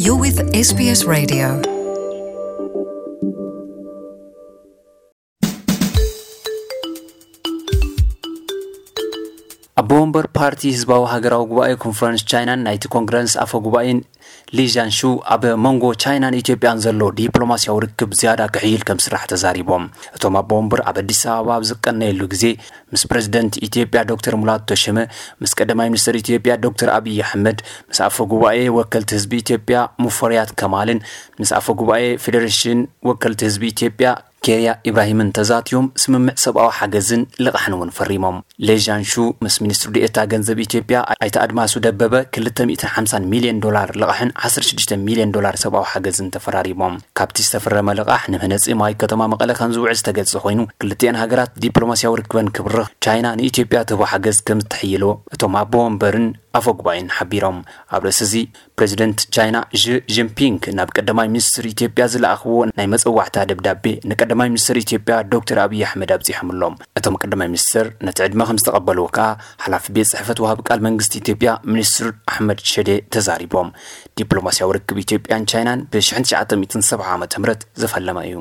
You're with S B S Radio. ኣቦ ወንበር ፓርቲ ህዝባዊ ሃገራዊ ጉባኤ ኮንፈረንስ ቻይናን ናይቲ ኮንግረስ ኣፈ ጉባኤን ሊ ጃንሹ ኣብ መንጎ ቻይናን ኢትዮጵያን ዘሎ ዲፕሎማሲያዊ ርክብ ዝያዳ ክሕይል ከም ስራሕ ተዛሪቦም። እቶም ኣቦ ወንበር ኣብ ኣዲስ ኣበባ ኣብ ዝቀነየሉ ግዜ ምስ ፕሬዝደንት ኢትዮጵያ ዶክተር ሙላቱ ተሸመ፣ ምስ ቀዳማይ ሚኒስትር ኢትዮጵያ ዶክተር ኣብይ ኣሕመድ፣ ምስ ኣፈ ጉባኤ ወከልቲ ህዝቢ ኢትዮጵያ ሙፈሪያት ከማልን ምስ ኣፈ ጉባኤ ፌዴሬሽን ወከልቲ ህዝቢ ኢትዮጵያ ኬርያ ኢብራሂምን ተዛትዮም ስምምዕ ሰብኣዊ ሓገዝን ልቓሕን እውን ፈሪሞም። ሌ ጃንሹ ምስ ሚኒስትሪ ዴኤታ ገንዘብ ኢትዮጵያ ኣይተ ኣድማሱ ደበበ ክልተ ሚእትን ሓምሳን ሚልዮን ዶላር ልቓሕን ዓሰርተ ሽዱሽተ ሚልዮን ዶላር ሰብኣዊ ሓገዝን ተፈራሪሞም። ካብቲ ዝተፈረመ ልቓሕ ንምህነፂ ማይ ከተማ መቐለ ከም ዝውዕል ዝተገልጸ ኮይኑ፣ ክልቲኤን ሃገራት ዲፕሎማሲያዊ ርክበን ክብርኽ ቻይና ንኢትዮጵያ ትህቦ ሓገዝ ከም እተሕይሎ እቶም ኣቦ ወንበርን ኣፈ ጉባኤን ሓቢሮም። ኣብ ርእሲ እዚ ፕሬዚደንት ቻይና ዢ ጂንፒንግ ናብ ቀዳማይ ሚኒስትር ኢትዮጵያ ዝለኣኽዎ ናይ መጸዋዕታ ደብዳቤ ንቀዳማይ ሚኒስትር ኢትዮጵያ ዶክተር ኣብይ ኣሕመድ ኣብጺሖምሎም። እቶም ቀዳማይ ሚኒስትር ነቲ ዕድመ ከም ዝተቐበልዎ ከኣ ሓላፊ ቤት ጽሕፈት ወሃቢ ቃል መንግስቲ ኢትዮጵያ ሚኒስትር ኣሕመድ ሸዴ ተዛሪቦም። ዲፕሎማሲያዊ ርክብ ኢትዮጵያን ቻይናን ብ ሽሕን ትሽዓተ ሚእትን ሰብዓ ዓመተ ምህረት ዝፈለመ እዩ።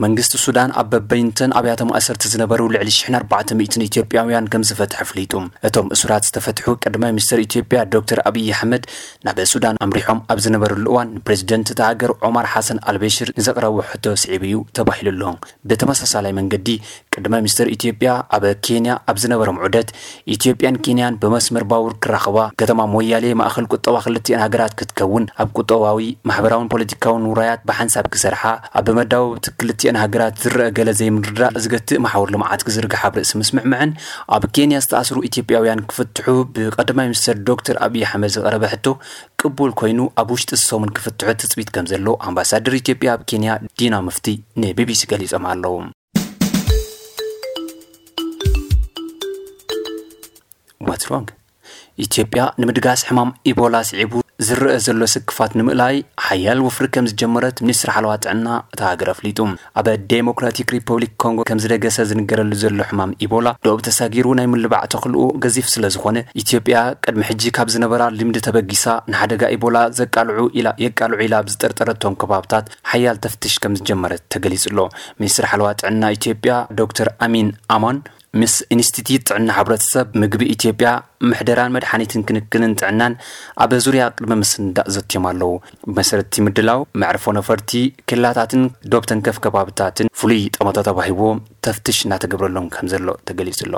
መንግስቲ ሱዳን ኣብ በበይንተን ኣብያተ ማእሰርቲ ዝነበሩ ልዕሊ ሽሕን ኣርባዕተ ሚእትን ኢትዮጵያውያን ከም ዝፈትሐ ኣፍሊጡ። እቶም እሱራት ዝተፈትሑ ቀዳማይ ሚኒስትር ኢትዮጵያ ዶክተር ኣብይ ኣሕመድ ናብ ሱዳን ኣምሪሖም ኣብ ዝነበሩሉ እዋን ንፕሬዚደንት እታ ሃገር ዖማር ሓሰን ኣልበሽር ንዘቕረቦ ሕቶ ስዒቡ እዩ ተባሂሉ ኣሎ። ብተመሳሳላይ መንገዲ ቀዳማይ ሚኒስትር ኢትዮጵያ ኣብ ኬንያ ኣብ ዝነበሮም ዑደት ኢትዮጵያን ኬንያን ብመስመር ባቡር ክራኸባ፣ ከተማ ሞያሌ ማእኸል ቁጠባ ክልቲኤን ሃገራት ክትከውን፣ ኣብ ቁጠባዊ፣ ማሕበራውን ፖለቲካውን ውራያት ብሓንሳብ ክሰርሓ፣ ኣብ መዳወብቲ ክልቲኤን ሃገራት ዝረአ ገለ ዘይምርድዳእ ዝገትእ መሓውር ልምዓት ክዝርግሓ ኣብ ርእሲ ምስምዕምዕን ኣብ ኬንያ ዝተኣስሩ ኢትዮጵያውያን ክፍትሑ ብቀዳማይ ሚኒስትር ዶክተር ኣብይ ኣሕመድ ዝቐረበ ሕቶ ቅቡል ኮይኑ ኣብ ውሽጢ ሰሙን ክፍትሑ ትፅቢት ከም ዘሎ ኣምባሳደር ኢትዮጵያ ኣብ ኬንያ ዲና ሙፍቲ ንቢቢሲ ገሊጾም ኣለዉ። What's wrong? ኢትዮጵያ ንምድጋስ ሕማም ኢቦላ ስዒቡ ዝረአ ዘሎ ስክፋት ንምእላይ ሓያል ወፍሪ ከም ዝጀመረት ሚኒስትሪ ሓለዋ ጥዕና እታ ሃገር ኣፍሊጡ። ኣብ ዴሞክራቲክ ሪፐብሊክ ኮንጎ ከም ዝደገሰ ዝንገረሉ ዘሎ ሕማም ኢቦላ ዶብ ተሳጊሩ ናይ ምልባዕ ተኽልኡ ገዚፍ ስለ ዝኾነ፣ ኢትዮጵያ ቅድሚ ሕጂ ካብ ዝነበራ ልምዲ ተበጊሳ ንሓደጋ ኢቦላ ዘቃልዑ ኢላ፣ የቃልዑ ኢላ ኣብ ዝጠርጠረቶም ከባብታት ሓያል ተፍትሽ ከም ዝጀመረት ተገሊጹ ኣሎ። ሚኒስትሪ ሓለዋ ጥዕና ኢትዮጵያ ዶክተር ኣሚን ኣማን ምስ ኢንስቲትዩት ጥዕና ሕብረተሰብ፣ ምግቢ ኢትዮጵያ፣ ምሕደራን መድሓኒትን ክንክንን ጥዕናን ኣብ ዙርያ ቅድመ ምስንዳእ ዘትዮም ኣለዉ። ብመሰረት እቲ ምድላው፣ መዕርፎ ነፈርቲ፣ ክላታትን ዶብ ተንከፍ ከባብታትን ፍሉይ ጠመተ ተባሂብዎ ተፍትሽ እናተገብረሎም ከም ዘሎ ተገሊጹ ኣሎ።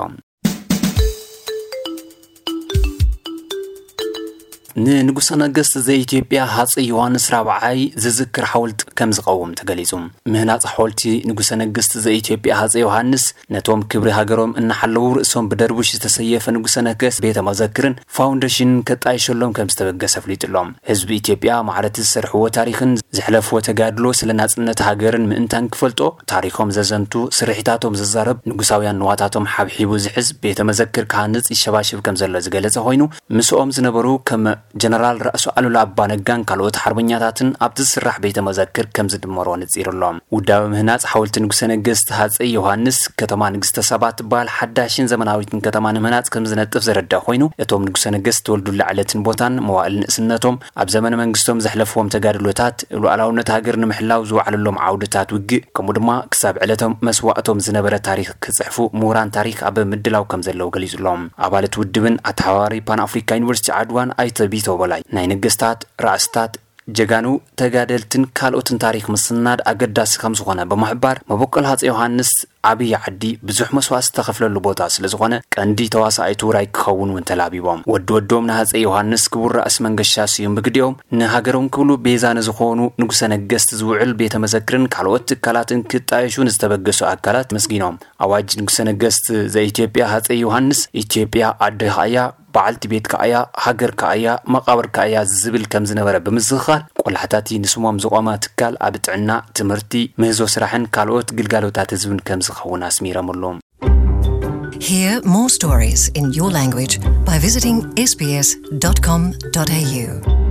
ንንጉሰ ነገስት ዘኢትዮጵያ ሃፀይ ዮሃንስ ራብዓይ ዝዝክር ሓወልቲ ከም ዝቐውም ተገሊጹ። ምህናጽ ሓወልቲ ንጉሰ ነገስት ዘኢትዮጵያ ሃፀይ ዮሃንስ ነቶም ክብሪ ሃገሮም እናሓለዉ ርእሶም ብደርቡሽ ዝተሰየፈ ንጉሰ ነገስት ቤተ መዘክርን ፋውንዴሽንን ከጣይሸሎም ከም ዝተበገሰ ኣፍሊጡ ኣሎ። ህዝቢ ኢትዮጵያ ማዕረቲ ዝሰርሕዎ ታሪኽን ዘሕለፍዎ ተጋድሎ ስለ ናጽነት ሃገርን ምእንታን ክፈልጦ፣ ታሪኾም ዘዘንቱ፣ ስርሒታቶም ዘዛረብ፣ ንጉሳውያን ንዋታቶም ሓብሒቡ ዝሕዝ ቤተ መዘክር ክሃንጽ ይሸባሸብ ከም ዘሎ ዝገለጸ ኮይኑ፣ ምስኦም ዝነበሩ ከም ጀነራል ራእሲ ኣሉላ ኣባ ነጋን ካልኦት ሓርበኛታትን ኣብቲ ዝስራሕ ቤተ መዘክር ከም ዝድመሩ ኣነጺሩ ኣሎ። ውዳበ ምህናጽ ሓወልቲ ንጉሰ ነገስት ሃጸይ ዮሃንስ ከተማ ንግስተ ሳባ ትበሃል ሓዳሽን ዘመናዊትን ከተማ ንምህናጽ ከም ዝነጥፍ ዘረዳ ኮይኑ፣ እቶም ንጉሰ ነገስት ዝተወልዱላ ዕለትን ቦታን መዋእል ንእስነቶም፣ ኣብ ዘመነ መንግስቶም ዘሕለፍዎም ተጋድሎታት፣ ሉዓላውነት ሃገር ንምሕላው ዝወዓለሎም ዓውድታት ውግእ፣ ከምኡ ድማ ክሳብ ዕለቶም መስዋእቶም ዝነበረ ታሪኽ ክጽሕፉ ምሁራን ታሪኽ ኣብ ምድላው ከም ዘለዉ ገሊጹ ኣሎ። ኣባላት ውድብን ኣተሓባባሪ ፓን ኣፍሪካ ዩኒቨርሲቲ ዓድዋን ኣይተ ቢቶ በላይ፣ ናይ ነገስታት፣ ራእስታት፣ ጀጋኑ፣ ተጋደልትን ካልኦትን ታሪኽ ምስናድ ኣገዳሲ ከም ዝኾነ ብምሕባር፣ መበቆል ሃፀይ ዮሃንስ ዓብዪ ዓዲ ብዙሕ መስዋእቲ ዝተኸፍለሉ ቦታ ስለ ዝኾነ፣ ቀንዲ ተዋሳኣይቱ ውራይ ክኸውን እውን ተላቢቦም። ወዲ ወዶም ንሃፀይ ዮሃንስ ክቡር ራእሲ መንገሻ ስዩም ብግዲኦም፣ ንሃገሮም ክብሉ ቤዛ ንዝኾኑ ንጉሰ ነገስት ዝውዕል ቤተ መዘክርን ካልኦት ትካላትን ክጣየሹ ንዝተበገሱ ኣካላት ኣመስጊኖም። ኣዋጅ ንጉሰ ነገስት ዘኢትዮጵያ ሃፀይ ዮሃንስ፣ ኢትዮጵያ ዓድኻ እያ፣ በዓልቲ ቤትካ እያ፣ ሃገርካ እያ፣ መቓብርካ እያ ዝብል ከም ዝነበረ ብምዝኽኻር፣ ቆላሕታቲ ንስሞም ዝቖመ ትካል ኣብ ጥዕና፣ ትምህርቲ፣ ምህዞ ስራሕን ካልኦት ግልጋሎታት ህዝብን ከም ዝኸውን ኣስሚሮምሉ። Hear more stories in your language by visiting S B S dot com dot A U.